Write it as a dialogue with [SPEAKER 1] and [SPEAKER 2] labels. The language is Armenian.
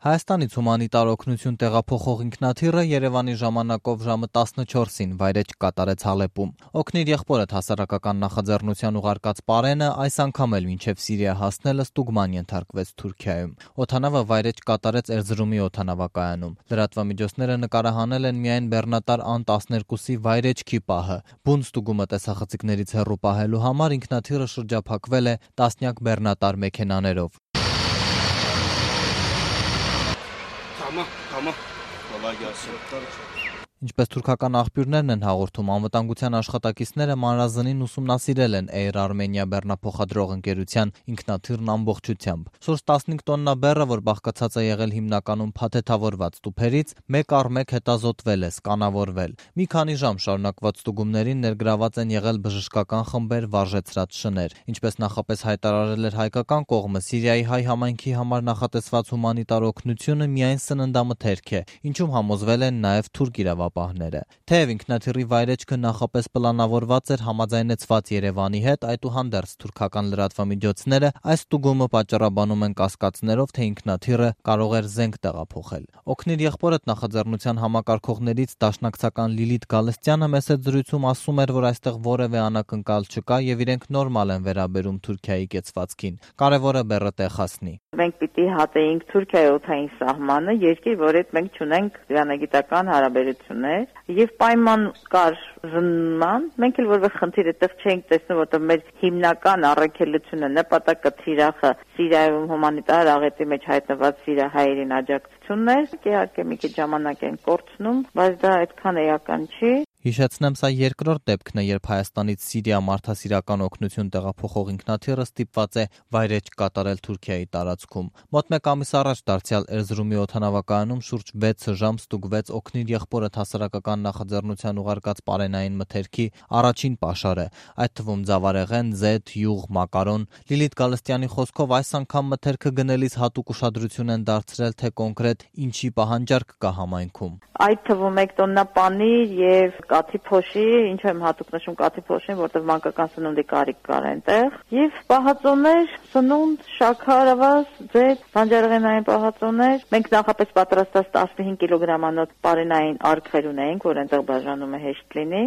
[SPEAKER 1] Հայաստանից հումանիտար օգնություն տեղափոխող ինքնաթիռը Երևանի ժամանակով ժամը 14-ին վայրէջք կատարեց Հալեպում։ Օգնիր եղբորդ հասարակական նախաձեռնության ուղարկած պարենը այս անգամ էլ մինչև Սիրիա հասնելը ստուգման ենթարկվեց Թուրքիայում։ Օդանավը վայրէջք կատարեց Էրզրումի օդանավակայանում։ Լրատվամիջոցները նկարահանել են միայն բեռնատար Ան-12-ի վայրէջքի պահը։ Բուն ստուգումը տեսախցիկներից հեռու պահելու համար ինքնաթիռը շրջափակվել է տասնյակ բեռնատար մեքենաներով։ Ինչպես թուրքական աղբյուրներն են հաղորդում, անվտանգության աշխատակիցները մանրազնին ուսումնասիրել են Air Armenia բեռնափոխադրող ընկերության ինքնաթիռն ամբողջությամբ։ Շուրջ 15 տոննա բեռը, որ բաղկացած է եղել հիմնականում փաթեթավորված տուփերից, մեկ առ մեկ հետազոտվել է, սկանավորվել։ Մի քանի ժամ շարունակված ստուգումներին ներգրաված են եղել բժշկական խմբեր, վարժեցրած շներ։ Ինչպես նախապես հայտարարել էր հայկական կողմը, Սիրիայի հայ համայնքի համար նախատեսված հումանիտար օգնությունը միայն սննդամթերք է, ինչում համոզվել են նաև թուրք իրավապահները։ Թեև ինքնաթիռի վայրէջքը նախապես պլանավորված էր համաձայնեցված Երևանի հետ, այդուհանդերձ թուրքական լրատվամիջոցները այս ստուգումը պատճառաբանում են կասկածներով, թե ինքնաթիռը կարող էր զենք տեղափոխել։ Օգնիր եղբորդ նախաձեռնության համակարգողներից դաշնակցական Լիլիթ Գալստյանը մեծ զրույցում ասում էր, որ այստեղ որևէ անակնկալ չկա եւ իրենք նորմալ են վերաբերում Թուրքիայի կեցվածքին։ Կարևորը բեռը տեղ հասնի։
[SPEAKER 2] Մենք պիտի հատեինք Թուրքիայի օդային սահմանը, երկիր, որ հետ մենք չունենք դիվանագիտական հարաբերություններ, եւ պայման կար զննման, մենք էլ որևէ խնդիր այդտեղ չենք տեսնում, որտեղ մեր հիմնական առաքելությունը, նպատակը թիրախը Սիրիայում հումանիտար աղետի մեջ հայտնված սիրիահայերին աջակցությունն էր, իհարկե մի քիչ ժամանակ են կորցնում, բայց դա այդքան էական չի։
[SPEAKER 1] Հիշեցնեմ, սա երկրորդ դեպքն է, երբ Հայաստանից Սիրիա մարդասիրական օգնություն տեղափոխող ինքնաթիռը ստիպված է վայրէջք կատարել Թուրքիայի տարածքում։ Մոտ մեկ ամիս առաջ դարձյալ Էրզրումի օդանավակայանում շուրջ 6 ժամ ստուգվեց օգնիր եղբորդ հասարակական նախաձեռնության ուղարկած պարենային մթերքի առաջին պաշարը, այդ թվում ձավարեղեն, զեթ, յուղ, մակարոն։ Լիլիթ Գալստյանի խոսքով այս անգամ մթերքը գնելիս հատուկ ուշադրություն են դարձրել, թե կոնկրետ ինչի պահանջարկ կա համայնքում։
[SPEAKER 2] Այդ թվում 1 տոննա պանիր եւ կաթի փոշի, ինչու եմ հատուկ նշում կաթի փոշին, որտեղ մանկական սնունդի կարիք կար այնտեղ, եւ պահածոներ, սնունդ, շաքար, ավազ, ձեթ, բանջարեղենային պահածոներ։ Մենք նախապես պատրաստած 15 կիլոգրամանոց պարենային արգխեր ունենք, որ այնտեղ բաժանումը հեշտ լինի։